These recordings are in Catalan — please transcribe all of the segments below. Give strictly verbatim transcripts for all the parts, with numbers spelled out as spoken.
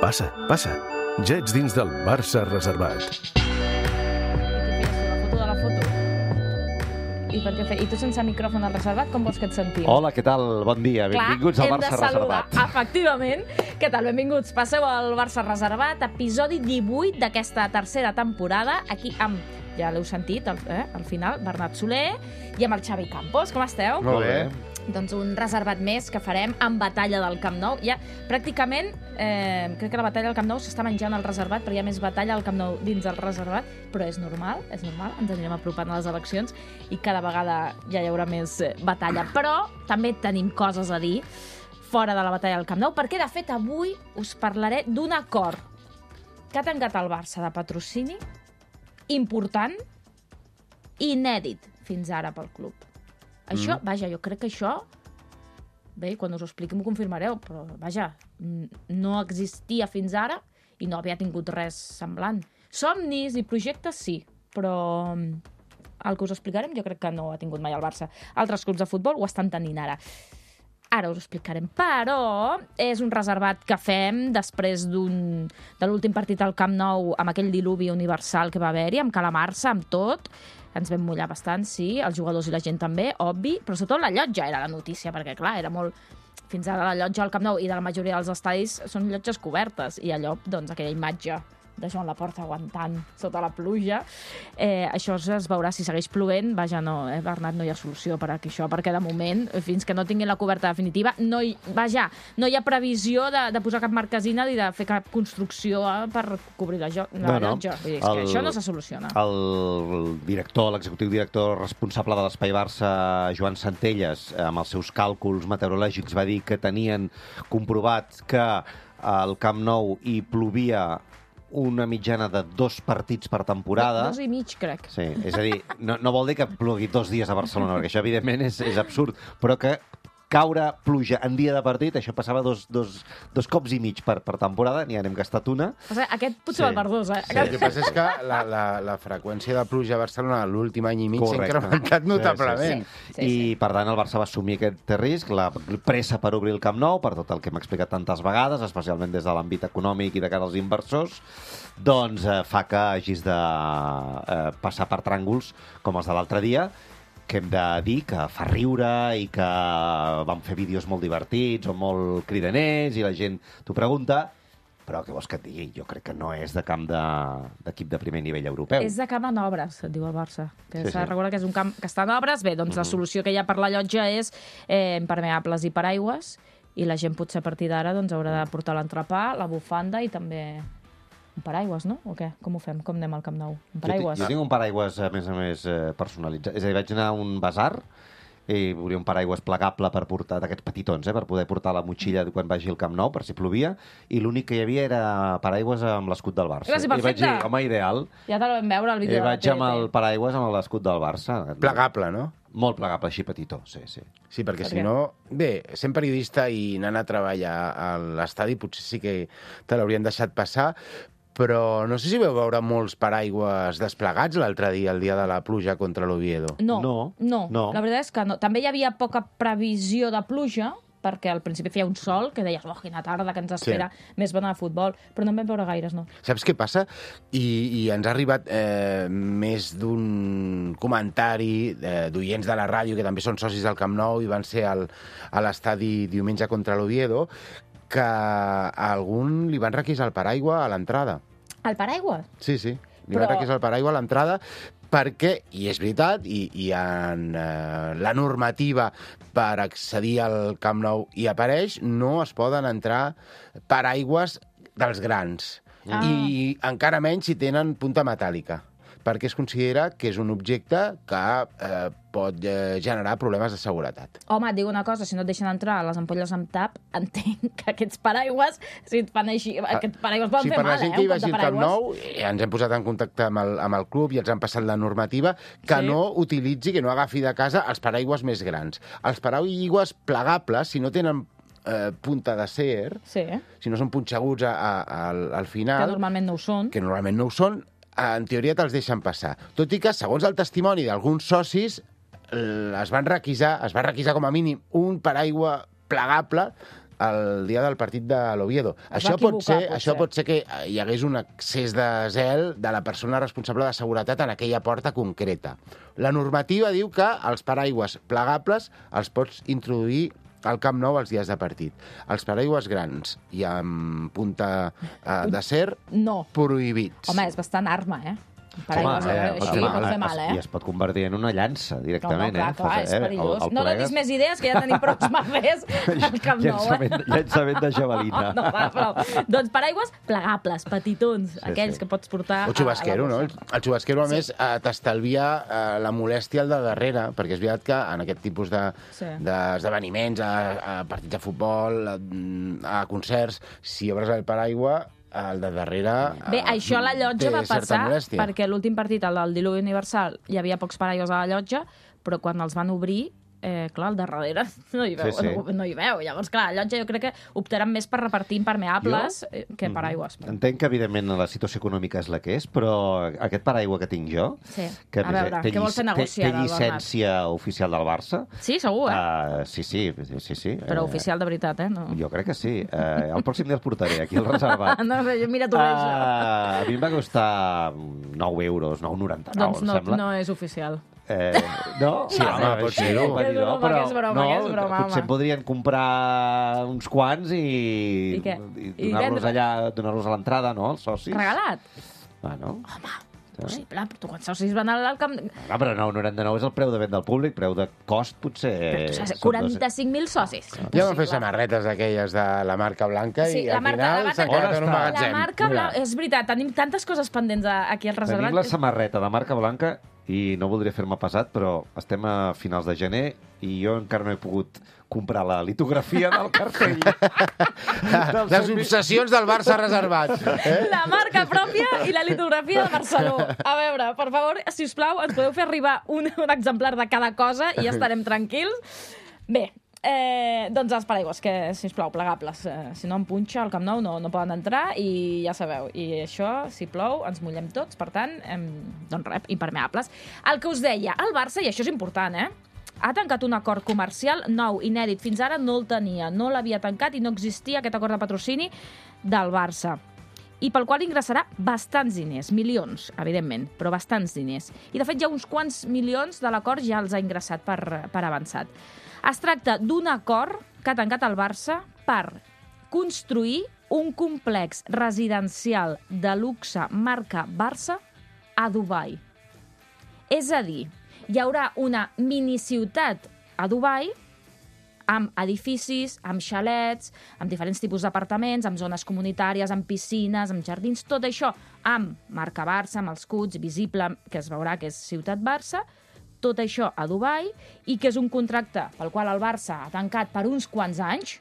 Passa, passa. Ja ets dins del Barça reservat. La foto de la foto. I, per què fer? I tu sense micròfon al reservat, com vols que et sentim? Hola, què tal? Bon dia. Benvinguts al Barça reservat. Efectivament. Què tal? Benvinguts. Passeu al Barça reservat, episodi divuit d'aquesta tercera temporada, aquí amb, ja l'heu sentit, al, eh, al final, Bernat Soler i amb el Xavi Campos. Com esteu? Molt bé. Doncs un reservat més que farem amb batalla del Camp Nou. Ja, pràcticament, eh, crec que la batalla del Camp Nou s'està menjant al reservat, perquè hi ha més batalla al Camp Nou dins del reservat, però és normal, és normal, ens anirem apropant a les eleccions i cada vegada ja hi haurà més batalla. Però també tenim coses a dir fora de la batalla del Camp Nou, perquè, de fet, avui us parlaré d'un acord que ha tancat el Barça de patrocini important i inèdit fins ara pel club. Això, mm. vaja, jo crec que això, bé, quan us ho expliqui m'ho confirmareu, però, vaja, no existia fins ara i no havia tingut res semblant. Somnis i projectes, sí, però el que us explicarem jo crec que no ha tingut mai el Barça. Altres clubs de futbol ho estan tenint ara. Ara us ho explicarem, però és un reservat que fem després d'un de l'últim partit al Camp Nou amb aquell diluvi universal que va haver-hi, amb calamarsa, amb tot. Ens vam mullar bastant, sí, els jugadors i la gent també, obvi, però sobretot la llotja era la notícia, perquè, clar, era molt... Fins ara la llotja al Camp Nou i de la majoria dels estadis són llotges cobertes, i allò, doncs, aquella imatge de Joan Laporta aguantant sota la pluja. Eh, això es veurà si segueix plovent. Vaja, no, eh, Bernat, no hi ha solució per aquí, això, perquè de moment, fins que no tinguin la coberta definitiva, no hi, vaja, no hi ha previsió de, de posar cap marquesina ni de fer cap construcció eh, per cobrir la, jo, la no, no. llotja. Vull dir, és el, que això no se soluciona. El director, l'executiu director responsable de l'Espai Barça, Joan Centelles, amb els seus càlculs meteorològics, va dir que tenien comprovat que al Camp Nou hi plovia una mitjana de dos partits per temporada. Dos i mig, crec. Sí, és a dir, no, no vol dir que plogui dos dies a Barcelona, perquè això, evidentment, és, és absurd, però que caure pluja en dia de partit, això passava dos, dos, dos cops i mig per, per temporada, n'hi hem gastat una. O sigui, aquest potser sí. val per dos, eh? Sí, el que passa és que la, la, la freqüència de pluja a Barcelona l'últim any i mig s'ha incrementat notablement. Sí, sí, sí. Sí, sí. I, per tant, el Barça va assumir aquest risc, la pressa per obrir el Camp Nou, per tot el que hem explicat tantes vegades, especialment des de l'àmbit econòmic i de cara als inversors, doncs eh, fa que hagis de eh, passar per tràngols com els de l'altre dia, que hem de dir que fa riure i que vam fer vídeos molt divertits o molt cridaners i la gent t'ho pregunta, però què vols que et digui? Jo crec que no és de camp d'equip de, de primer nivell europeu. És de camp en obres, et diu el Barça. Que sí, s'ha de sí. recordar que és un camp que està en obres. Bé, doncs uh-huh. la solució que hi ha per la llotja és eh, impermeables i paraigües, i la gent potser a partir d'ara doncs, haurà de portar l'entrepà, la bufanda i també un paraigües, no? O què? Com ho fem? Com anem al Camp Nou? Un paraigües? Jo, jo tinc un paraigües, a més a més, eh, personalitzat. És a dir, vaig anar a un basar i volia un paraigües plegable per portar, d'aquests petitons, eh, per poder portar la motxilla quan vagi al Camp Nou, per si plovia, i l'únic que hi havia era paraigües amb l'escut del Barça. Gràcies, I vaig dir, home, ideal. Ja te vam veure al vídeo I de la vaig T V T. amb el paraigües amb l'escut del Barça. Plegable, no? Molt plegable, així petitó, sí, sí. Sí, perquè per si què? no... Bé, sent periodista i anant a treballar a l'estadi, potser sí que te l'haurien deixat passar, però no sé si vau veure molts paraigües desplegats l'altre dia, el dia de la pluja contra l'Oviedo. No, No, no, no. la veritat és que no. També hi havia poca previsió de pluja, perquè al principi feia un sol, que deies, oh, quina tarda que ens espera, sí. més bona de futbol, però no en vam veure gaires, no. Saps què passa? I, i ens ha arribat eh, més d'un comentari eh, d'oients de la ràdio, que també són socis del Camp Nou i van ser al, a l'estadi diumenge contra l'Oviedo, que a algun li van requisar el paraigua a l'entrada. El paraigua? Sí, sí, li Però... van requisar el paraigua a l'entrada perquè, i és veritat, i, i en eh, la normativa per accedir al Camp Nou hi apareix, no es poden entrar paraigües dels grans. Ah. I encara menys si tenen punta metàl·lica, perquè es considera que és un objecte que eh, pot eh, generar problemes de seguretat. Home, et dic una cosa, si no et deixen entrar les ampolles amb tap, entenc que aquests paraigües, si et fan així, aquests paraigües poden sí, fer mal, eh? per la gent que hi vagi al Camp Nou, eh, ens hem posat en contacte amb el, amb el club i ens han passat la normativa que sí. no utilitzi, que no agafi de casa els paraigües més grans. Els paraigües plegables, si no tenen eh, punta d'acer, sí. si no són punxeguts a, a, al, al final... Que normalment no ho són. Que normalment no ho són, en teoria te'ls deixen passar. Tot i que, segons el testimoni d'alguns socis, es van requisar, es va requisar com a mínim un paraigua plegable el dia del partit de l'Oviedo. Es Això va pot ser, equivocar, això potser. pot ser que hi hagués un excés de zel de la persona responsable de seguretat en aquella porta concreta. La normativa diu que els paraigües plegables els pots introduir al Camp Nou els dies de partit. Els paraigües grans i amb punta eh, d'acer, No. prohibits. Home, és bastant arma, eh? Per Home, aigües, eh, així home, pot fer mal, eh? I es pot convertir en una llança, No, no, directament. clar, eh? clar, Fas, és eh? perillós. El- el No donis plegues. més idees, que ja tenim prou merders al Camp Nou, eh? Llançament, llançament de javelina. No, va, prou. Doncs paraigües plegables, petitons, Sí, aquells sí. que pots portar... O xubasquero, a, a no? la El, bossa. el xubasquero, a Sí. més, eh, t'estalvia eh, la molèstia al de darrere, perquè és veritat que en aquest tipus de- Sí. d'esdeveniments, a, a partits de futbol, a, a concerts, si obres el paraigua, el de darrere... Bé, eh, això a la llotja té va certa passar molèstia. perquè l'últim partit, el del Diluvi Universal, hi havia pocs paraigües a la llotja, però quan els van obrir, eh, clar, al darrere no hi veu, Sí, sí. No, no hi veu. Llavors, clar, a la llotja jo crec que optaran més per repartir impermeables Jo? eh, que paraigües. Però... Entenc que, evidentment, la situació econòmica és la que és, però aquest paraigua que tinc jo, Sí. que A veure, té, què vol fer té, negoci té ara, el llicència oficial del Barça, Sí, segur, eh? uh, sí, sí, sí, sí. Però eh, oficial de veritat, eh? No. Jo crec que sí. Uh, el pròxim dia el portaré aquí al reservat. No, no, mira tu uh... Uh, a mi em va costar nou euros, nou coma noranta-nou, Doncs em no, sembla. no és oficial. Eh, no? Sí, home, pot sí, ser-ho. pot dir, És no, broma, però, que és broma, no, que és broma, potser home. podrien comprar uns quants i, I què? i I donar-los vendre? allà, donar-los a l'entrada, no?, als socis. Regalat? Bueno, Possible, però tu quants socis van al camp... no, però nou coma noranta-nou és el preu de venda al públic, preu de cost potser... Però tu saps, són quaranta-cinc mil socis. Ja van fer Impossible. samarretes d'aquelles de la marca blanca Sí, i la al marca- la final marca- s'ha quedat en un On està? magatzem. La marca Mira. blanca... És veritat, tenim tantes coses pendents a- aquí al reservat. Tenim la samarreta de marca blanca i no voldria fer-me pesat, però estem a finals de gener i jo encara no he pogut comprar la litografia del cartell. Del Les cent mil. obsessions del Barça reservat. Eh? La marca pròpia i la litografia de Barceló. A veure, per favor, si us plau, ens podeu fer arribar un, un exemplar de cada cosa i ja estarem tranquils. Bé, eh, doncs els paraigües, que, si us plau, plegables. Eh, si no em punxa al Camp Nou no, no poden entrar i ja sabeu. I això, si plou, ens mullem tots. Per tant, em, doncs rep, impermeables. El que us deia, el Barça, i això és important, eh? Ha tancat un acord comercial nou, inèdit. Fins ara no el tenia, no l'havia tancat i no existia aquest acord de patrocini del Barça. I pel qual ingressarà bastants diners, milions, evidentment, però bastants diners. I, de fet, ja uns quants milions de l'acord ja els ha ingressat per, per avançat. Es tracta d'un acord que ha tancat el Barça per construir un complex residencial de luxe marca Barça a Dubai. És a dir, hi haurà una miniciutat a Dubai amb edificis, amb xalets, amb diferents tipus d'apartaments, amb zones comunitàries, amb piscines, amb jardins, tot això amb marca Barça, amb els escuts, visible, que es veurà que és Ciutat Barça, tot això a Dubai, i que és un contracte pel qual el Barça ha tancat per uns quants anys,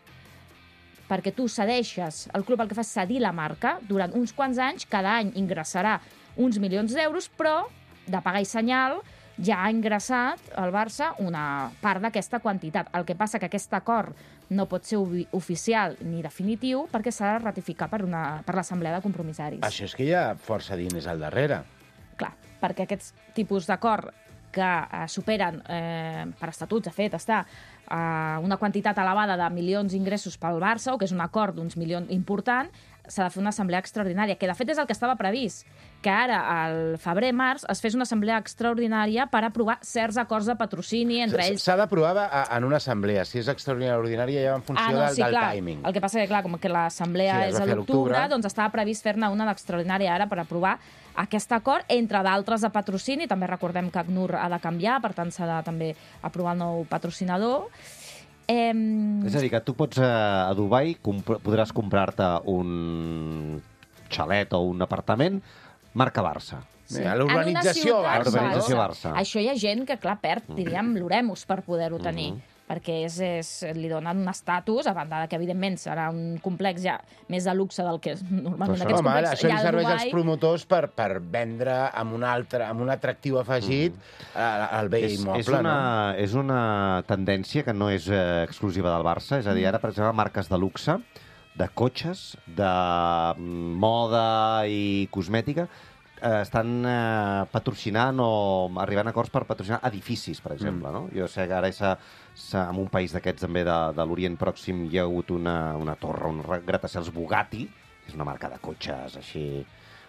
perquè tu cedeixes, el club el que fa és cedir la marca, durant uns quants anys, cada any ingressarà uns milions d'euros, però de pagar i senyal ja ha ingressat al Barça una part d'aquesta quantitat. El que passa que aquest acord no pot ser oficial ni definitiu perquè s'ha de ratificar per, una, per l'Assemblea de Compromissaris. Això és que hi ha força diners al darrere. Clar, perquè aquests tipus d'acord que eh, superen, eh, per estatuts, de fet, està eh, una quantitat elevada de milions d'ingressos pel Barça, o que és un acord d'uns milions important, s'ha de fer una assemblea extraordinària, que de fet és el que estava previst, que ara, al febrer-març, es fes una assemblea extraordinària per aprovar certs acords de patrocini, entre ells... S'ha d'aprovar a- en una assemblea. Si és extraordinària o ordinària, ja va en funció Ah, no, del, sí, del clar. timing. El que passa que, clar, com que l'assemblea Sí, es és va a fer a l'octubre, l'octubre. doncs estava previst fer-ne una d'extraordinària ara per aprovar aquest acord, entre d'altres de patrocini. També recordem que ACNUR ha de canviar, per tant s'ha de també aprovar el nou patrocinador. Eh... És a dir, que tu pots, eh, a Dubai, comp podràs comprar-te un xalet o un apartament marca Barça. Sí. A l'urbanització En una ciutat Barça. Urbanització Barça. Això hi ha gent que, clar, perd, diríem, l'oremus per poder-ho tenir. Mhm. perquè és, és, li donen un estatus, a banda de que, evidentment, serà un complex ja més de luxe del que és normalment Però aquests Home, ara, complexos. això li hi ha a serveix als Dubai. promotors per, per vendre amb un, altre, amb un atractiu afegit mm. el bé És, immoble. és, una, és una tendència que no és eh, exclusiva del Barça. És a dir, ara, per exemple, marques de luxe, de cotxes, de mm, moda i cosmètica, eh, estan eh, patrocinant o arribant a acords per patrocinar edificis, per exemple, mm. no? Jo sé que ara és a, a, en un país d'aquests també de, de l'Orient Pròxim hi ha hagut una, una torre, un gratacels Bugatti, que és una marca de cotxes així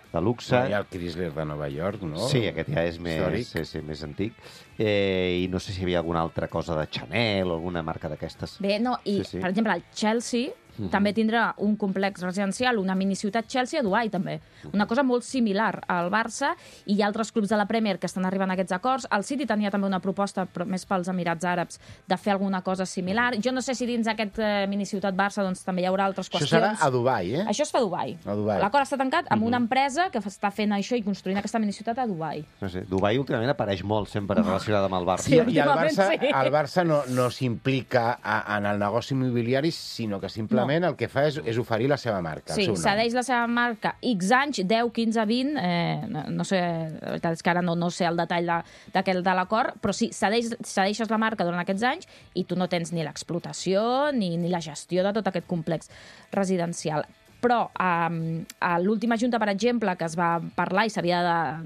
de luxe. Hi ha el Chrysler de Nova York, no? Sí, aquest ja és més, sí, sí, més antic. Eh, I no sé si hi havia alguna altra cosa de Chanel o alguna marca d'aquestes. Bé, no, i, sí, sí. per exemple, el Chelsea uh-huh. també tindrà un complex residencial, una miniciutat Chelsea a Dubai, també. Uh-huh. Una cosa molt similar al Barça, i hi ha altres clubs de la Premier que estan arribant a aquests acords. El City tenia també una proposta, però més pels Emirats Àrabs, de fer alguna cosa similar. Jo no sé si dins aquest eh, miniciutat Barça doncs, també hi haurà altres qüestions. Això serà a Dubai, eh? Això es fa a Dubai. A Dubai. L'acord està tancat amb uh-huh. una empresa que està fent això i construint aquesta miniciutat a Dubai. No sé, Dubai últimament apareix molt sempre relacionada amb el Barça. Sí, I el Barça, sí. el Barça no, no s'implica en el negoci immobiliari, sinó que simplement no. el que fa és, és oferir la seva marca, sí, el seu nom. cedeix la seva marca X anys, deu, quinze, vint, eh, no, no sé, la veritat és que ara no, no sé el detall d'aquest de, de l'acord, però sí, cedeix, cedeixes la marca durant aquests anys i tu no tens ni l'explotació ni, ni la gestió de tot aquest complex residencial. Però eh, a l'última junta, per exemple, que es va parlar i s'havia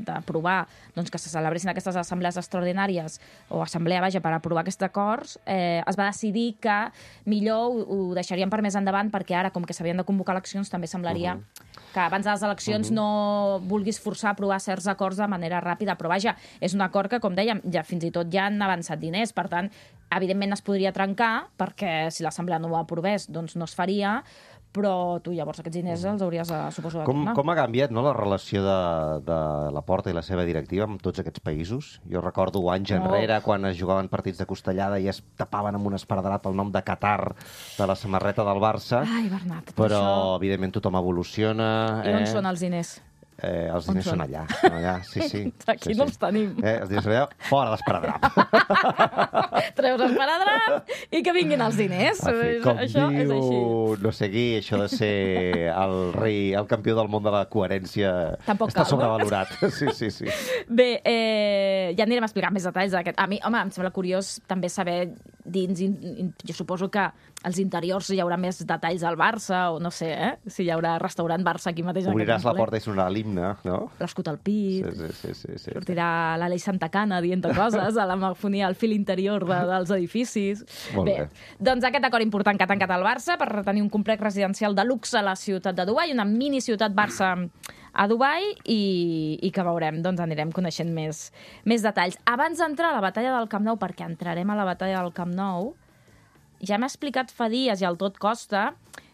d'aprovar doncs, que se celebressin aquestes assemblees extraordinàries o assemblea, vaja, per aprovar aquests acords, eh, es va decidir que millor ho, ho deixarien per més endavant perquè ara, com que s'havien de convocar eleccions, també semblaria uh-huh. que abans de les eleccions uh-huh. no vulguis forçar a aprovar certs acords de manera ràpida. Però, vaja, és un acord que, com dèiem, ja fins i tot ja han avançat diners. Per tant, evidentment es podria trencar perquè si l'assemblea no ho aprovés, doncs no es faria, però tu llavors aquests diners els hauries, de, suposo, de com, tornar. Com ha canviat, no, la relació de, de la Porta i la seva directiva amb tots aquests països? Jo recordo anys oh. enrere, quan es jugaven partits de costellada i es tapaven amb un esparadrap el nom de Qatar de la samarreta del Barça. Ai, Bernat, però, això... evidentment, tothom evoluciona. I on eh? són els diners? Eh, els diners són allà, són allà, sí, sí. Aquí sí, no sí. els tenim. Eh, els diners són allà, fora l'esparadrap. Treus esparadrap i que vinguin els diners. Fi, com això diu, és així. No sé qui, això de ser el rei, el campió del món de la coherència Tampoc està cal, sobrevalorat. No? Sí, sí, sí. Bé, eh, ja anirem a explicar més detalls d'aquest. A mi, home, em sembla curiós també saber dins, in, in, jo suposo que als interiors hi haurà més detalls al Barça, o no sé, eh? Si hi haurà restaurant Barça aquí mateix. Obriràs la porta i sonarà l'himne, no? L'escut al pit, sí, sí, sí, sí, sí. sortirà l'Aleix Santacana dient coses, a la megafonia al fil interior de, dels edificis. Molt bé. bé. Doncs aquest acord important que ha tancat el Barça per retenir un complex residencial de luxe a la ciutat de Dubai, una mini ciutat Barça a Dubai, i, i que veurem, doncs anirem coneixent més, més detalls. Abans d'entrar a la batalla del Camp Nou, perquè entrarem a la batalla del Camp Nou, ja m'ha explicat fa dies i al tot costa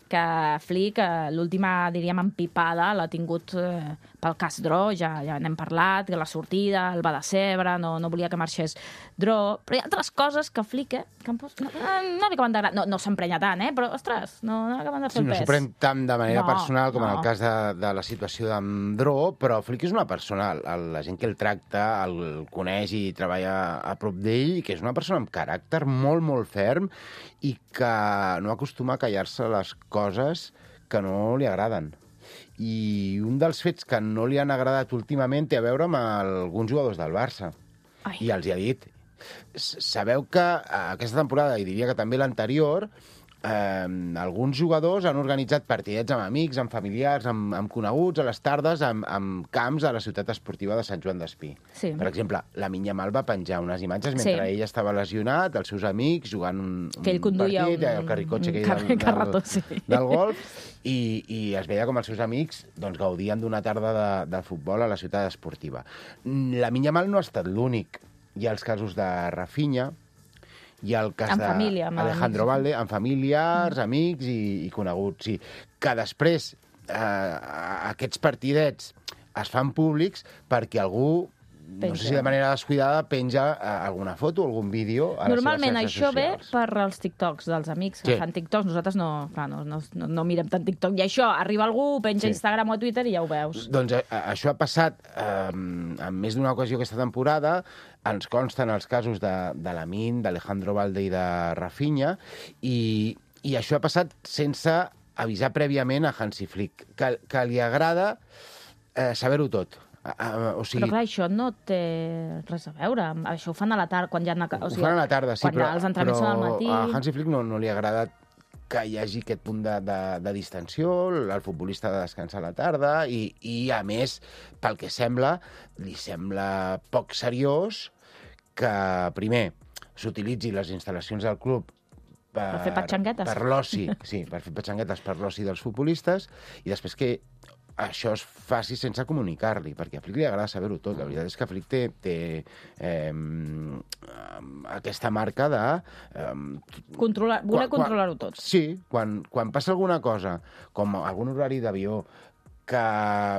que Flick, l'última, diríem, empipada, l'ha tingut eh, pel cas Dro, ja, ja n'hem parlat, que la sortida, el va decebre, no, no volia que marxés Dro, però hi ha altres coses que Flick, eh, que em pos... no, no m'acaben d'agradar, no, no s'emprenya tant, eh, però, ostres, no, no acaben de fer sí, el no pes. s'ho pren tant de manera no, personal com no. en el cas de, de la situació d'en Dro, però Flick és una persona, el, la gent que el tracta, el coneix i treballa a prop d'ell, que és una persona amb caràcter molt, molt ferm i que no acostuma a callar-se les coses que no li agraden. I un dels fets que no li han agradat últimament té a veure amb alguns jugadors del Barça. Ai. I els hi ha dit. Sabeu que aquesta temporada, i diria que també l'anterior, eh, alguns jugadors han organitzat partidets amb amics, amb familiars, amb, amb coneguts, a les tardes, amb, amb camps a la ciutat esportiva de Sant Joan d'Espí. Sí. Per exemple, la Yamal va penjar unes imatges mentre sí. ell estava lesionat, els seus amics jugant un, que ell conduïa partit, un, el carricotxe aquell car del, carretó, del, sí. del golf, i, i es veia com els seus amics doncs, gaudien d'una tarda de, de futbol a la ciutat esportiva. La Yamal no ha estat l'únic. Hi ha els casos de Rafinha, hi ha el cas d'Alejandro Valde, amb familiars, mm. amics i, i coneguts. Sí. Que després eh, aquests partidets es fan públics perquè algú, penja. No sé si de manera descuidada, penja eh, alguna foto, algun vídeo a Normalment les seves xarxes això socials. ve per als TikToks dels amics que sí. fan TikToks. Nosaltres no, clar, no, no, no, no mirem tant TikTok. I això, arriba algú, penja sí. a Instagram o a Twitter i ja ho veus. Doncs a, això ha passat eh, en més d'una ocasió aquesta temporada. Ens consten els casos de, de Lamine, d'Alejandro Valde i de Rafinha, i, i això ha passat sense avisar prèviament a Hansi Flick, que, que li agrada eh, saber-ho tot. Uh, o sigui... Però clar, això no té res a veure. Això ho fan a la tarda, quan ja... O sigui, ho fan a la tarda, sí, quan però, els entrenaments són al matí... a Hansi Flick no, no li agrada que hi hagi aquest punt de, de, de distensió, el futbolista ha de descansar a la tarda i, i, a més, pel que sembla, li sembla poc seriós que, primer, s'utilitzi les instal·lacions del club per, Per fer patxanguetes. per l'oci, sí, per fer patxanguetes per l'oci dels futbolistes, i després que això es faci sense comunicar-li, perquè a Flick li agrada saber-ho tot. La veritat és que Flick té, té eh, aquesta marca de... Eh, Controlar, voler quan- controlar-ho tot. Sí, quan, quan passa alguna cosa, com algun horari d'avió, que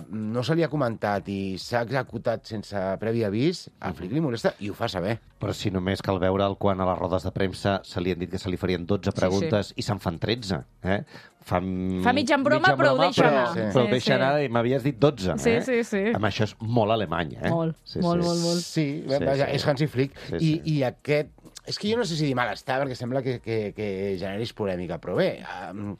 no se li ha comentat i s'ha executat sense previ avís, a Flick li molesta i ho fa saber. Però si només cal veure'l quan a les rodes de premsa se li han dit que se li farien dotze preguntes i se'n fan tretze. Eh? Fa, Fa mitja en broma, però ho deixa però, anar. Sí. Però ho Sí, deixa sí. anar i m'havies dit dotze. Sí, eh? sí, sí. Amb això és molt alemany. Eh? Molt, sí, molt, sí. molt, molt. Sí, Sí, vaja, sí. és Hansi Flick. Sí, I, sí. I aquest... És que jo no sé si dir malestar, perquè sembla que, que, que generis polèmica, però bé, um,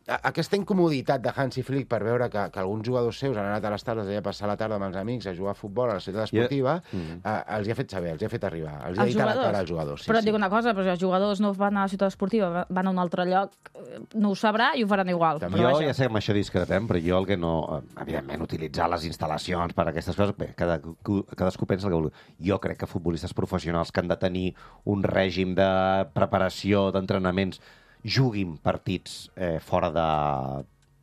aquesta incomoditat de Hansi Flick per veure que, que alguns jugadors seus han anat a les tardes a passar la tarda amb els amics a jugar a futbol a la ciutat esportiva, Jo- mm. uh, els hi ha fet saber, els hi ha fet arribar, els hi ha Els dit a la jugadors? cara als jugadors. Sí, Però et sí. dic una cosa, però si els jugadors no van a la ciutat esportiva, van a un altre lloc, eh, no ho sabrà i ho faran igual. També. Però Jo vaja. ja sé que amb això discrepem, però jo el que no... Evidentment, utilitzar les instal·lacions per a aquestes coses... Bé, cada, cadascú pensa el que vulgui. Jo crec que futbolistes professionals que han de tenir un règim de preparació, d'entrenaments, juguin partits eh, fora de,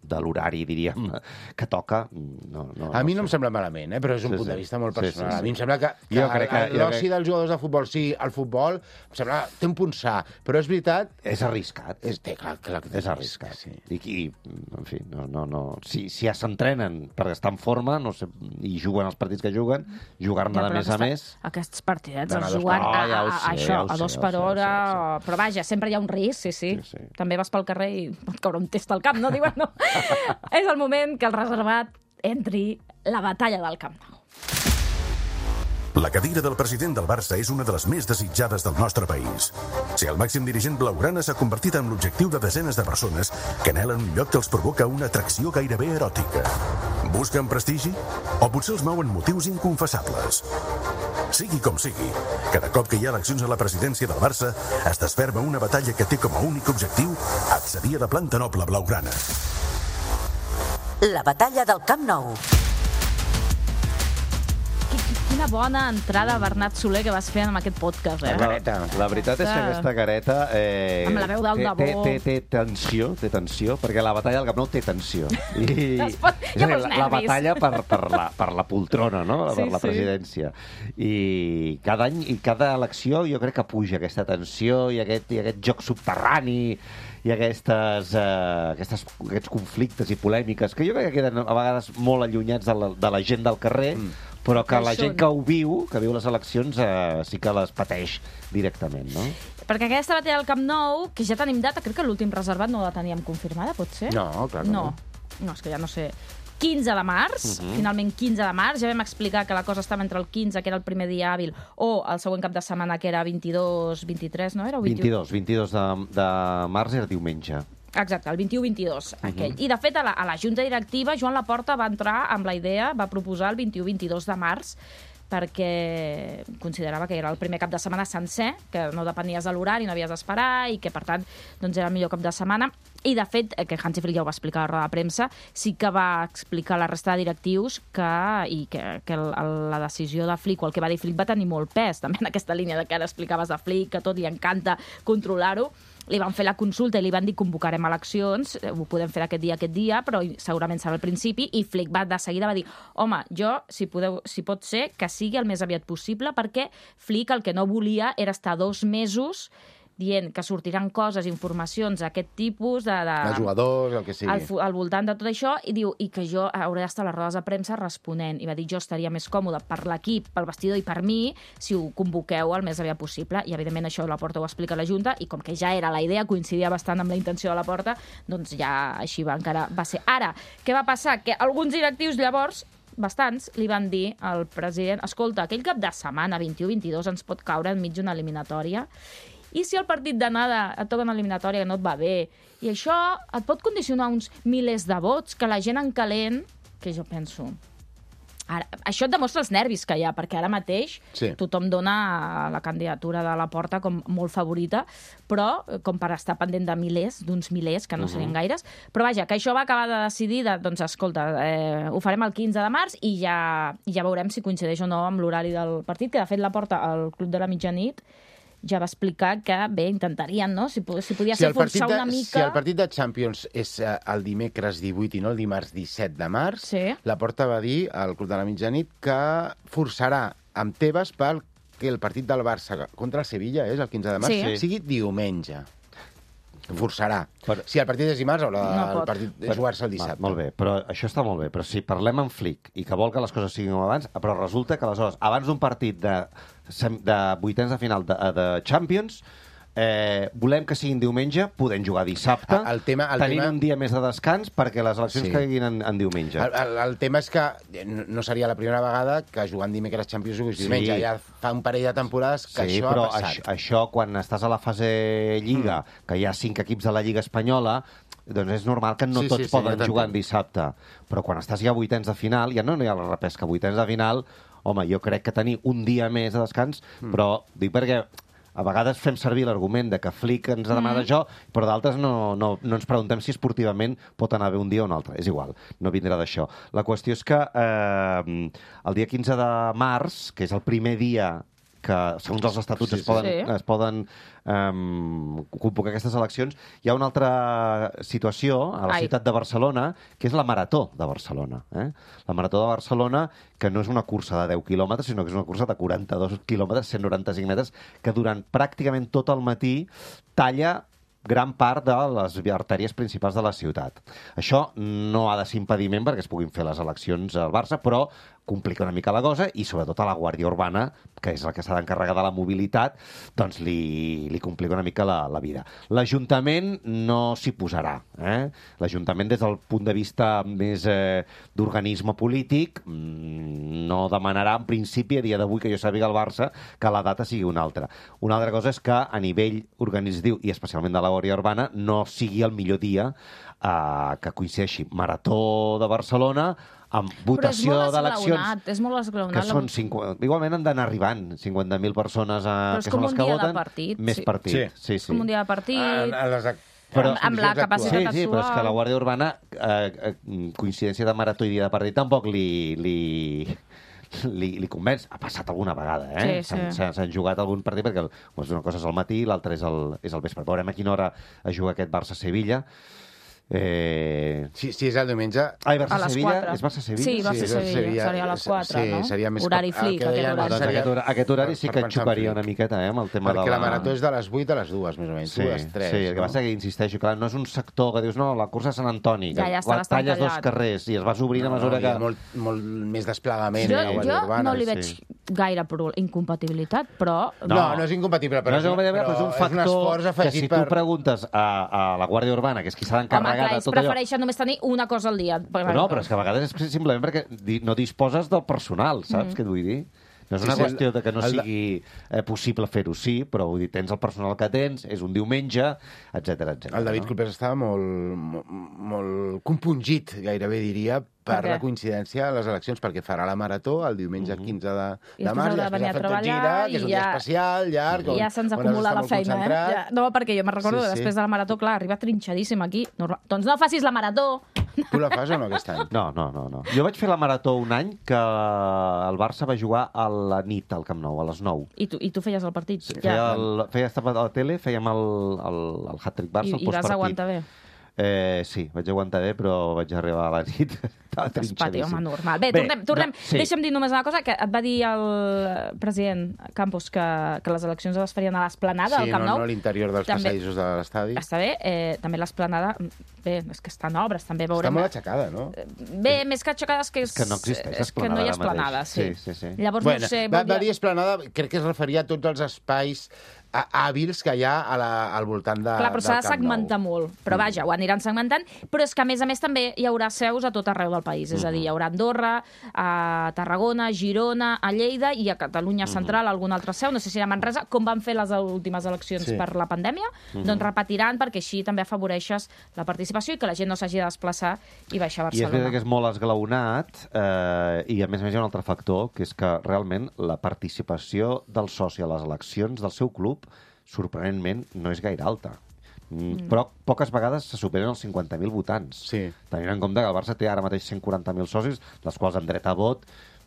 de l'horari, diríem, que toca. No, no, A mi no sé. em sembla malament, eh? Però és un Sí, punt sí. de vista molt Sí, sí, personal. sí. A mi em sembla que, que Jo crec que- jo l'oci crec- dels jugadors de futbol, sí, el futbol, em sembla, té un punt sa, però és veritat... És arriscat. És, té, clar, clar que té És arriscat. Sí. I, i, en fi, no, no, no. Si, si ja s'entrenen per estar en forma no sé, i juguen els partits que juguen, jugar-ne Ja, de però més a aquesta- més... Aquests partidets D'anar els a dos juguen per a, hora. Ja ho a, a, sé, això, ja ho a sé, dos ja ho per sé, hora, ja ho però vaja, sempre hi ha un risc, sí, sí. Sí, sí. També vas pel carrer i pot caure un test al camp, no? Diuen, no. És el moment que el reservat entri la batalla del Camp Nou. La cadira del president del Barça és una de les més desitjades del nostre país. Si el màxim dirigent blaugrana s'ha convertit en l'objectiu de desenes de persones que anhelen un lloc que els provoca una atracció gairebé eròtica. Busquen prestigi? O potser els mouen motius inconfessables? Sigui com sigui, cada cop que hi ha eleccions a la presidència del Barça es desferma una batalla que té com a únic objectiu accedir a la planta noble blaugrana. La batalla del Camp Nou. Quina bona entrada, Bernat Soler, que vas fer amb aquest podcast, eh? La, la veritat és que aquesta careta... Eh, Amb la veu d'Alda té, Bo. té, té, té tensió, té tensió, perquè la batalla del Camp Nou té tensió. I, Es pot- és hi ha a dir, molts la, la nervis. batalla per, per, la, per la poltrona, no? Sí, per la sí. presidència. I cada any i cada elecció jo crec que puja aquesta tensió i aquest, i aquest joc subterrani i aquestes, eh, aquestes, aquests conflictes i polèmiques que jo crec que queden a vegades molt allunyats de la, de la gent del carrer, mm. però que la Això gent no. que ho viu, que viu les eleccions, eh, sí que les pateix directament, no? Perquè aquesta batalla del Camp Nou, que ja tenim data, crec que l'últim reservat no la teníem confirmada, pot ser? No, clar que no. no. No, és que ja no sé. quinze de març, uh -huh. finalment quinze de març, ja vam explicar que la cosa estava entre el quinze, que era el primer dia hàbil, o el següent cap de setmana, que era vint-i-dos, vint-i-tres, no era? O vint-i-dos, vint-i-dos de, de març era diumenge. Exacte, el vint-i-u vint-i-dos, aquell. I, de fet, a la, a la Junta Directiva, Joan Laporta va entrar amb la idea, va proposar el vint-i-u vint-i-dos de març, perquè considerava que era el primer cap de setmana sencer, que no depenies de l'horari, no havies d'esperar, i que, per tant, doncs era el millor cap de setmana. I, de fet, que Hansi Flick ja ho va explicar a la roda de premsa, sí que va explicar a la resta de directius que, i que, que el, el, la decisió de Flick, o el que va dir Flick, va tenir molt pes, també en aquesta línia de que ara explicaves de Flick, que tot li encanta controlar-ho. Li van fer la consulta i li van dir convocarem eleccions, ho podem fer aquest dia, aquest dia, però segurament serà al principi, i Flick va de seguida va dir, home, jo, si, podeu, si pot ser, que sigui el més aviat possible, perquè Flick el que no volia era estar dos mesos dient que sortiran coses, informacions d'aquest tipus, de, de, Els jugadors, el que sigui. al, fu- al voltant de tot això, i diu i que jo hauré d'estar a les rodes de premsa responent. I va dir, jo estaria més còmode per l'equip, pel vestidor i per mi, si ho convoqueu el més aviat possible. I, evidentment, això la Porta ho explica a la Junta, i com que ja era la idea, coincidia bastant amb la intenció de la Porta, doncs ja així va, encara va ser. Ara, què va passar? Que alguns directius llavors, bastants, li van dir al president, escolta, aquell cap de setmana, vint-i-u vint-i-dos, ens pot caure enmig d'una eliminatòria, i si el partit d'anada et toca una eliminatòria que no et va bé, i això et pot condicionar uns milers de vots, que la gent en calent, que jo penso, Ara, això et demostra els nervis que hi ha, perquè ara mateix Sí. tothom dona la candidatura de la Porta com molt favorita, però com per estar pendent de milers, d'uns milers, que no uh -huh. serien gaires. Però vaja, que això va acabar de decidir, de, doncs escolta, eh, ho farem el quinze de març i ja, ja veurem si coincideix o no amb l'horari del partit, que de fet la Porta al Club de la Mitjanit ja va explicar que, bé, intentarien, no?, si, si podia ser forçar de, una mica... Si el partit de Champions és eh, el dimecres divuit i no el dimarts disset de març, Sí. la Porta va dir al Club de la Mitjanit que forçarà amb Tebas pel que el partit del Barça contra el Sevilla, és el quinze de març, Sí. sigui diumenge. Forçarà. Però- Si el partit és dimarts, haurà No el pot. partit de jugar-se el Va, dissabte. molt bé, però això està molt bé. Però si parlem amb Flick i que vol que les coses siguin com abans, però resulta que aleshores, abans d'un partit de, sem- de vuitens de final de, de Champions, eh, volem que siguin diumenge, podem jugar dissabte, El tema- el tenint tema- un dia més de descans perquè les eleccions Sí. caiguin en, en diumenge. El, el, el tema és que no no seria la primera vegada que jugant dimecres Champions juguis Sí. diumenge. Ja fa un parell de temporades que Sí, això però ha passat. això, això, quan estàs a la fase Lliga, mm. que hi ha cinc equips de la Lliga espanyola, doncs és normal que no Sí, tots sí, sí, poden jo t'entenc. jugar en dissabte. Però quan estàs ja a vuitens de final, ja no hi ha la repesca. Vuitens de final, home, jo crec que tenir un dia més de descans, mm. però dic perquè a vegades fem servir l'argument de que Flick ens ha demanat mm. això, però d'altres no, no, no ens preguntem si esportivament pot anar bé un dia o un altre. És igual, no vindrà d'això. La qüestió és que eh, el dia quinze de març, que és el primer dia que, segons els estatuts, Sí, es sí. poden, Sí. es poden um, convocar aquestes eleccions. Hi ha una altra situació a la Ai. ciutat de Barcelona, que és la Marató de Barcelona. Eh? La Marató de Barcelona, que no és una cursa de deu quilòmetres, sinó que és una cursa de quaranta-dos quilòmetres, cent noranta-cinc metres, que durant pràcticament tot el matí talla gran part de les artèries principals de la ciutat. Això no ha de ser impediment perquè es puguin fer les eleccions al Barça, però complica una mica la cosa i sobretot a la Guàrdia Urbana, que és la que s'ha d'encarregar de la mobilitat, doncs li, li complica una mica la, la vida. L'Ajuntament no s'hi posarà. Eh? L'Ajuntament, des del punt de vista més eh, d'organisme polític, mm, no demanarà, en principi, a dia d'avui, que jo sàpiga el Barça, que la data sigui una altra. Una altra cosa és que a nivell organitzatiu, i especialment de la Guàrdia Urbana, no sigui el millor dia eh, que coincideixi Marató de Barcelona amb votació d'eleccions, esglaonat, és molt esglaonat. que són cinquanta... Igualment han d'anar arribant cinquanta mil persones a... Però és que com són les un que dia de voten, partit, més sí. partit. Sí. Sí, sí. Com un dia de partit... A, a les, ac- Però- les amb la condicions capacitat Sí, actuals. sí, però és que la actual. Guàrdia Urbana, eh, eh, coincidència de marató i dia de partit, tampoc li, li, li, li convenç. Ha passat alguna vegada, eh? Sí, sí. S'han- s'han- S'han jugat algun partit, perquè doncs, una cosa és al matí i l'altra és, el, és al vespre. Veurem a quina hora es juga aquest Barça-Sevilla. Eh... Si, si és el diumenge... Ai, A les Barça-Sevilla? quatre. És Barça-Sevilla? Sí, Sí, Barça-Sevilla. seria- Seria a les quatre, sí, no? seria més Horari cap- el flic, que aquest deien horari. Doncs seria- aquest, hora, aquest horari sí per que pensar en xuparia flic. una miqueta, eh, amb el tema Perquè de la marató és de les vuit a les dues, més o menys. Sí, Dues, tres. sí, el que no? passa que insisteixo, clar, no és un sector que dius, no, la cursa de Sant Antoni, Ja, que ja està la bastant talles dos tallat. carrers i es vas obrint a mesura no, que... hi ha molt, molt més desplegament Jo, a la Guàrdia jo Urbana. no li sí. veig gaire pro- incompatibilitat, però... No, no, és incompatible, però, no és, un, però és un factor esforç que afegit si per... tu preguntes a, a la Guàrdia Urbana, que és qui s'ha Home, d'encarregar clar, de ells tot allò... prefereixen només tenir una cosa al dia. No, però és que a vegades és simplement perquè di- no disposes del personal, saps Mm. què et vull dir? No és Sí, una sí, qüestió de que no el de- sigui eh, possible fer-ho, sí, però vull dir, tens el personal que tens, és un diumenge, etcètera, etcètera. El David no? Clopés estava molt, molt, molt compungit, gairebé diria, per Per què? la coincidència a les eleccions, perquè farà la marató el diumenge Mhm. quinze de, I de després març, haurà de després venir ha a fet tot treballar gira, que és i un dia ja- especial, llarg, I on- ja se'ns on has acumula d'estar la molt feina, eh? concentrat. Ja, no, perquè jo me'n recordo, Sí, sí. després de la marató, clar, arriba trinxadíssim aquí. Normal. Doncs no facis la marató! Tu la fas o no aquest any? No, no, no, no. Jo vaig fer la marató un any que el Barça va jugar a la nit al Camp Nou, a les nou. I tu, i tu feies el partit. Feia, el, feia estar a la tele, fèiem el, el, el hat-trick Barça, I, el I vas postpartit. aguantar bé. Eh, sí, vaig aguantar bé, però vaig arribar a la nit. Estava Espati, trinxadíssim. home, normal. Bé, tornem. tornem. no, sí. Deixa'm dir només una cosa, que et va dir el president Campos que, que les eleccions es farien a l'esplanada Sí, del Camp no, Nou. no a l'interior dels També- passadissos de l'estadi. Està bé, eh, també l'esplanada... Bé, és que està en obres, també veurem... Està molt aixecada, no? Bé, més que aixecades que és... És que no existeix és que no hi ha esplanada ara esplanada, mateix. sí. Sí, sí, sí. Llavors, Bueno, no sé... va, volia- va dir esplanada, crec que es referia a tots els espais hàbils que hi ha a la, al voltant de, Clar, però del s'ha de Camp Nou. segmentar molt. Però vaja, ho aniran segmentant. Però és que, a més a més, també hi haurà seus a tot arreu del país. És a dir, hi haurà a Andorra, a Tarragona, a Girona, a Lleida i a Catalunya Central, alguna altra seu. No sé si a Manresa, com van fer les últimes eleccions Sí. per la pandèmia, doncs repetiran, perquè així també afavoreixes la participació i que la gent no s'hagi de desplaçar i baixar a I és Barcelona. veritat que és molt esglaonat eh, i, a més a més, hi ha un altre factor, que és que realment la participació del soci a les eleccions del seu club, sorprenentment, no és gaire alta. Mm. Però poques vegades se superen els cinquanta mil votants. Sí. Tenint en compte que el Barça té ara mateix cent quaranta mil socis, dels quals amb dret a vot,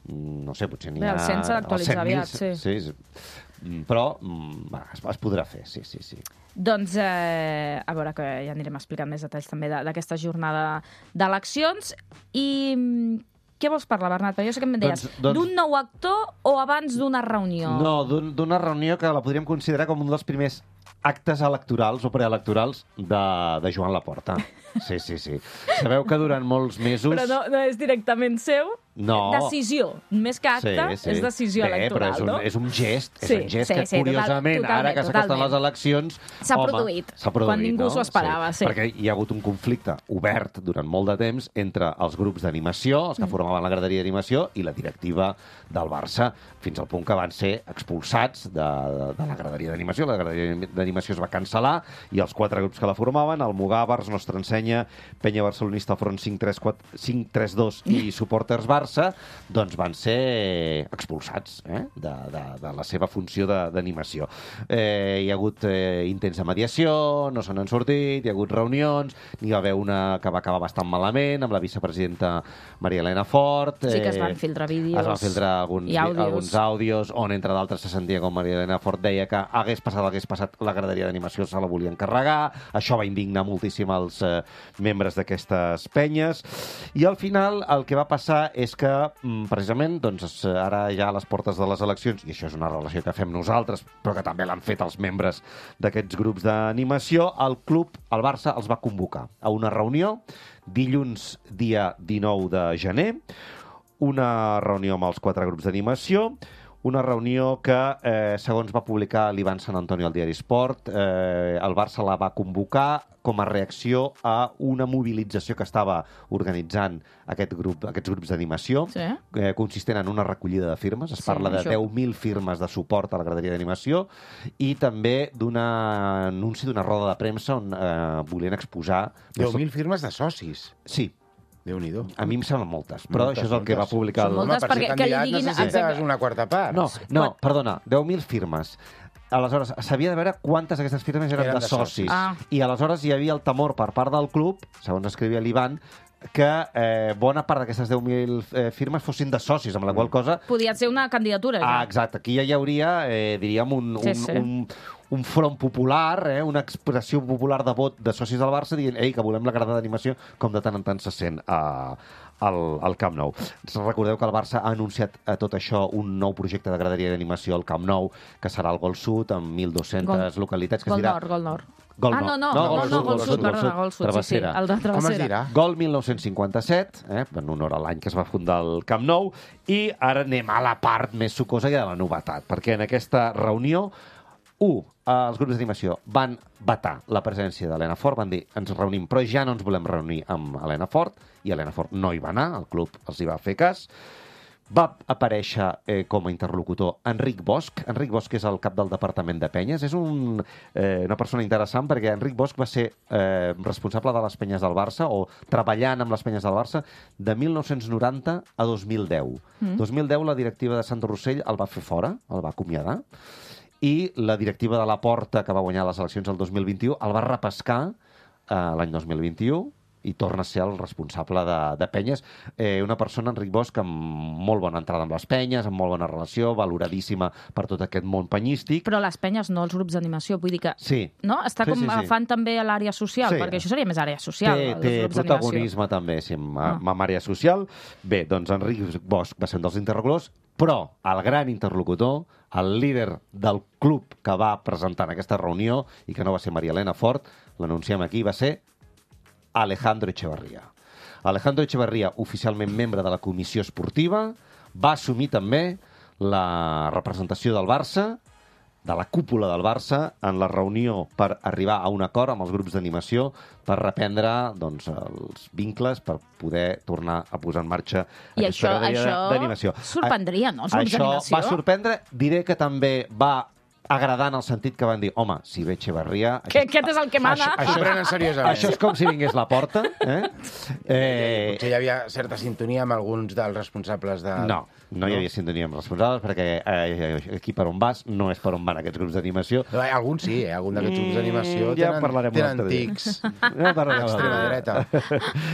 mm, no sé, potser n'hi Bé, ha... el cent s'ha d'actualitzar els cent mil, aviat, sí. sí. sí. Però mm, va, es, es podrà fer, sí, sí, sí. Doncs, eh, a veure, que ja anirem explicant més detalls també de- d'aquesta jornada d'eleccions. I mm, què vols parlar, Bernat? Perquè jo sé que em deies, Doncs- doncs- d'un nou actor o abans d'una reunió? No, d'un- d'una reunió que la podríem considerar com un dels primers actes electorals o preelectorals de, de Joan Laporta. Sí, sí, sí. Sabeu que durant molts mesos... Però no, no és directament seu? No. Decisió. Més que acte, Sí, sí. és decisió Bé, electoral, però és un, no? és un gest, és Sí, un gest sí, que, sí, total- curiosament, ara totalment, que s'acosten totalment. les eleccions... S'ha home, produït, s'ha produït, quan ningú no? s'ho esperava, sí. Perquè hi ha hagut un conflicte obert durant molt de temps entre els grups d'animació, els que Mm. formaven la graderia d'animació, i la directiva del Barça, fins al punt que van ser expulsats de, de, de la graderia d'animació. La graderia d'animació es va cancel·lar i els quatre grups que la formaven, el Mugàvers, Nostra Ensenya, Penya Barcelonista, Front cinc tres dos i Suporters Barça, doncs van ser expulsats eh? de, de, de la seva funció de- d'animació. Eh, hi ha hagut eh, intents de mediació, no se n'han sortit, hi ha hagut reunions, n'hi va haver una que va acabar bastant malament, amb la vicepresidenta Maria Elena Fort. Sí, que es van filtrar vídeos Es van filtrar alguns, i àudios. alguns àudios, on, entre d'altres, se sentia com Maria Elena Fort deia que hagués passat, hagués passat, la graderia d'animació se la volien carregar. Això va indignar moltíssim els eh, membres d'aquestes penyes. I al final el que va passar és que, mm, precisament, doncs, es- ara ja a les portes de les eleccions, i això és una relació que fem nosaltres, però que també l'han fet els membres d'aquests grups d'animació, el club, el Barça, els va convocar a una reunió dilluns, dia dinou de gener, una reunió amb els quatre grups d'animació, una reunió que, eh, segons va publicar l'Ivan Sant Antonio al diari Sport, eh, el Barça la va convocar com a reacció a una mobilització que estava organitzant aquest grup, aquests grups d'animació, Sí. eh, consistent en una recollida de firmes. Es Sí, parla de això. deu mil firmes de suport a la graderia d'animació i també d'un anunci d'una roda de premsa on eh, volien exposar... deu mil firmes de socis. Sí, Déu-n'hi-do. a mi em semblen moltes, però Moltes, això és el que va moltes. publicar... Són el- moltes. Home, per perquè- ser que li candidat diguin- necessites exacte. una quarta part. No, no, perdona, deu mil firmes. Aleshores, s'havia de veure quantes d'aquestes firmes eren, Eren de de socis. socis. Ah. I aleshores hi havia el temor per part del club, segons escrivia l'Ivan, que eh, bona part d'aquestes deu mil eh, firmes fossin de socis, amb la qual cosa... Podia ser una candidatura, ja. Ah, exacte, aquí ja hi hauria, eh, diríem, un, Sí, un, sí. un, un front popular, eh, una expressió popular de vot de socis del Barça dient ei, que volem la grada d'animació, com de tant en tant se sent a, al, al Camp Nou. Recordeu que el Barça ha anunciat a tot això un nou projecte de graderia d'animació al Camp Nou, que serà el Gol Sud, amb mil dues-centes Gol- localitats, que Gol es dirà... Nord, Gol Nord. Gol ah, no, no, no, no, no, Gol Sud, perdona, Gol Sud, sí, sí, Travessera. el de Com es Travessera. dirà? Gol mil nou-cents cinquanta-set, eh, en honor a l'any que es va fundar el Camp Nou, i ara anem a la part més sucosa i de la novetat, perquè en aquesta reunió, u, els grups d'animació van vetar la presència d'Helena Fort, van dir, ens reunim, però ja no ens volem reunir amb Helena Fort, i Helena Fort no hi va anar, el club els hi va fer cas. Va aparèixer eh, com a interlocutor Enric Bosch. Enric Bosch és el cap del Departament de Penyes. És un, eh, una persona interessant perquè Enric Bosch va ser eh, responsable de les penyes del Barça o treballant amb les penyes del Barça de mil nou-cents noranta a dos mil deu. Mm. dos mil deu la directiva de Sant Rossell el va fer fora, el va acomiadar, i la directiva de la Porta, que va guanyar les eleccions el dos mil vint-i-u, el va repescar eh, l'any dos mil vint-i-u i torna a ser el responsable de, de penyes. Eh, una persona, Enric Bosch, amb molt bona entrada amb les penyes, amb molt bona relació, valoradíssima per tot aquest món penyístic. Però les penyes, no els grups d'animació, vull dir que... Sí. No? Està Sí, com sí, sí. agafant també a l'àrea social, Sí. perquè això seria més àrea social, Té, els té grups d'animació. protagonisme també, sí, amb, Ah. amb àrea social. Bé, doncs Enric Bosch va ser un dels interlocutors, però el gran interlocutor, el líder del club que va presentar en aquesta reunió i que no va ser Maria Elena Fort, l'anunciem aquí, va ser Alejandro Echeverría. Alejandro Echeverría, oficialment membre de la comissió esportiva, va assumir també la representació del Barça de la cúpula del Barça en la reunió per arribar a un acord amb els grups d'animació per reprendre doncs, els vincles per poder tornar a posar en marxa I aquesta això, graderia això d'animació. sorprendria, no? Els grups Això d'animació. va sorprendre. Diré que també va agradar en el sentit que van dir, home, si ve Echeverría... Que aquest és el que mana. Això, això prenen seriosament. Això és com si vingués la porta. Eh? Eh, Potser hi havia certa sintonia amb alguns dels responsables de... no, no hi havia sintonia amb els responsables perquè eh, aquí per on vas no és per on van aquests grups d'animació. No, alguns sí, eh? Alguns d'aquests grups d'animació Mm, ja tenen, parlarem un tenen altre dia. tics. Ja parlarem un Extrema altre dreta.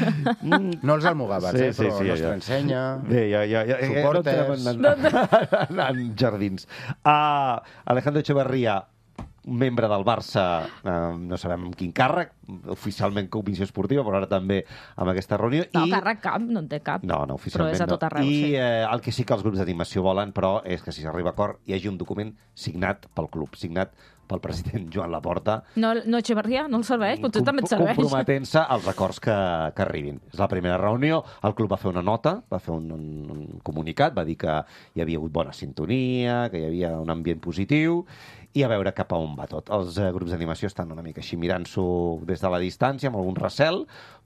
No els almogàvers, Sí, eh? sí, Però sí, nostra ja. ensenya... Bé, ja, ja, ja, ja, Suporters. no entrem en, en, en jardins. Uh, Alejandro Echeverría, membre del Barça, eh, no sabem amb quin càrrec, oficialment comissió esportiva, però ara també amb aquesta reunió. No, I... càrrec cap, no en té cap. No, no, oficialment però és a tot arreu, no. I sí. eh, el que sí que els grups d'animació volen, però, és que si s'arriba a acord hi hagi un document signat pel club, signat pel president Joan Laporta, No, no Echeverría, no el serveix, potser també et serveix. comprometent-se als acords que, que arribin. És la primera reunió, el club va fer una nota, va fer un, un, un comunicat, va dir que hi havia hagut bona sintonia, que hi havia un ambient positiu, i a veure cap a on va tot. Els eh, grups d'animació estan una mica així mirant-s'ho des de la distància, amb algun recel,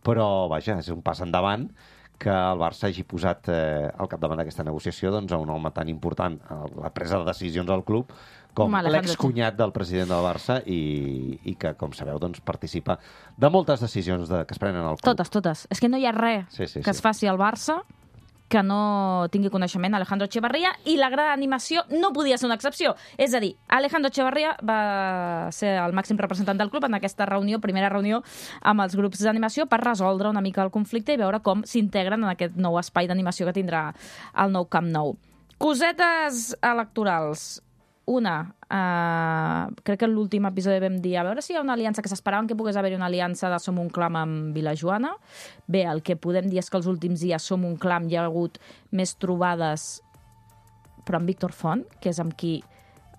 però, vaja, és un pas endavant que el Barça hagi posat eh, al capdavant d'aquesta negociació doncs, a un home tan important a la presa de decisions al club com Home, Alejandro l'excunyat del president del Barça i, i que, com sabeu, doncs, participa de moltes decisions de, que es prenen al club. Totes, totes. És que no hi ha res Sí, sí, que sí. es faci al Barça que no tingui coneixement Alejandro Echeverría, i la gran animació no podia ser una excepció. És a dir, Alejandro Echeverría va ser el màxim representant del club en aquesta reunió, primera reunió amb els grups d'animació per resoldre una mica el conflicte i veure com s'integren en aquest nou espai d'animació que tindrà el nou Camp Nou. Cosetes electorals. Una, eh, crec que en l'últim episodi vam dir a veure si hi ha una aliança, que s'esperaven que pogués haver-hi una aliança de Som un Clam amb Vilajoana. Bé, el que podem dir és que els últims dies Som un Clam hi ha hagut més trobades, però amb Víctor Font, que és amb qui,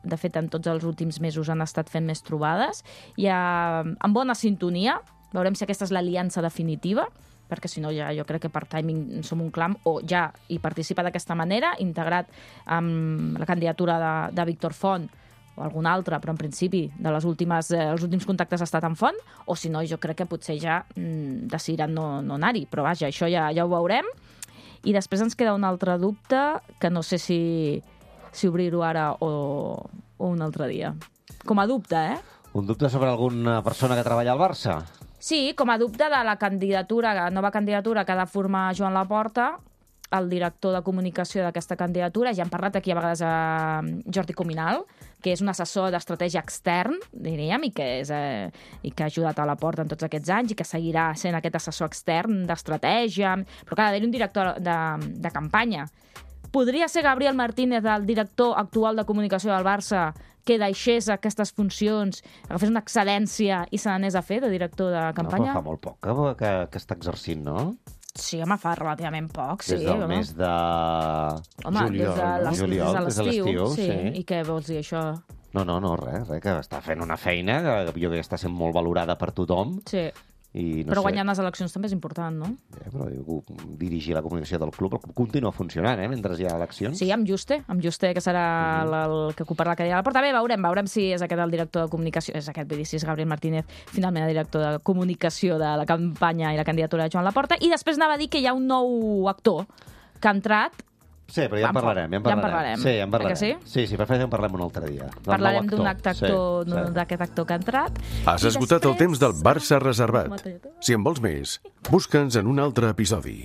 de fet, en tots els últims mesos han estat fent més trobades. Hi ha, amb bona sintonia, veurem si aquesta és l'aliança definitiva, perquè si no ja jo crec que per timing Som un Clam o ja hi participa d'aquesta manera, integrat amb la candidatura de, de Víctor Font o algun altre, però en principi de les últimes, eh, els últims contactes ha estat amb Font, o si no jo crec que potser ja mm, decidiran no, no anar-hi, però vaja, això ja, ja ho veurem. I després ens queda un altre dubte que no sé si, si obrir-ho ara o, o un altre dia. Com a dubte, eh? Un dubte sobre alguna persona que treballa al Barça? Sí, com a dubte de la candidatura, la nova candidatura que ha de formar Joan Laporta, el director de comunicació d'aquesta candidatura. Ja hem parlat aquí a vegades a Jordi Cominal, que és un assessor d'estratègia extern, diríem, i que, és, eh, i que ha ajudat a Laporta en tots aquests anys i que seguirà sent aquest assessor extern d'estratègia, però que ha d'haver un director de, de campanya. Podria ser Gabriel Martínez, el director actual de comunicació del Barça, que deixés aquestes funcions, agafés una excel·lència i se n'anés a fer de director de campanya? No, però fa molt poc que, que, que està exercint, no? Sí, home, fa relativament poc, sí. Des del home. mes de... Home, juliol, des de no? l'es- Juliol, des des de de l'estiu, l'estiu, sí. sí. I què vols dir, això? No, no, no, res, res, que està fent una feina que jo crec que està sent molt valorada per tothom. Sí. I no Però sé, guanyar les eleccions també és important, no? Eh, però diu, dirigir la comunicació del club, el club continua funcionant, eh, mentre hi ha eleccions. Sí, amb Juste, amb Juste, que serà el, el que ocuparà la cadira de la porta. Bé, veurem, veurem si és aquest el director de comunicació, és aquest, vull dir, si és Gabriel Martínez, finalment el director de comunicació de la campanya i la candidatura de Joan Laporta. I després anava a dir que hi ha un nou actor que ha entrat. Sí, però ja en parlarem, ja en Ja en parlarem. parlarem. Sí, ja en parlarem. Eh que sí? Sí, sí, prefereixo en parlem un altre dia. Del Parlarem nou d'un acte actor, Sí, d'un- sí. d'aquest actor que ha entrat. Has I esgotat el després- temps del Barça reservat. Si en vols més, busca'ns en un altre episodi.